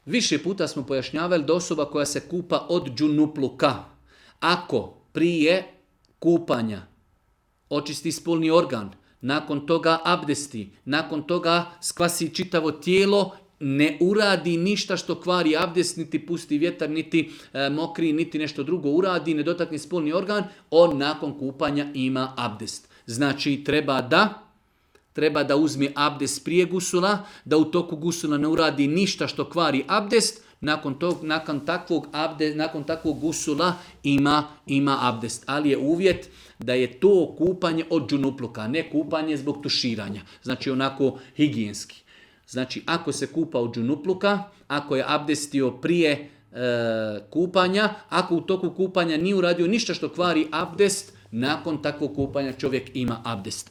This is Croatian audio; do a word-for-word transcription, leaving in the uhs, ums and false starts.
Više puta smo pojašnjavali da osoba koja se kupa od džunupluka, ako prije kupanja očisti spolni organ, nakon toga abdesti, nakon toga skvasi čitavo tijelo, ne uradi ništa što kvari abdest, niti pusti vjetar, niti e, mokri, niti nešto drugo uradi, ne dotakne spolni organ, on nakon kupanja ima abdest. Znači treba da treba da uzme abdest prije gusula, da u toku gusula ne uradi ništa što kvari abdest, nakon tog, nakon takvog abde, nakon takvog gusula ima ima abdest, ali je uvjet da je to kupanje od džunupluka, ne kupanje zbog tuširanja. Znači onako higijenski. Znači ako se kupa od džunupluka, ako je abdestio prije e, kupanja, ako u toku kupanja nije uradio ništa što kvari abdest, nakon takvog kupanja čovjek ima abdest.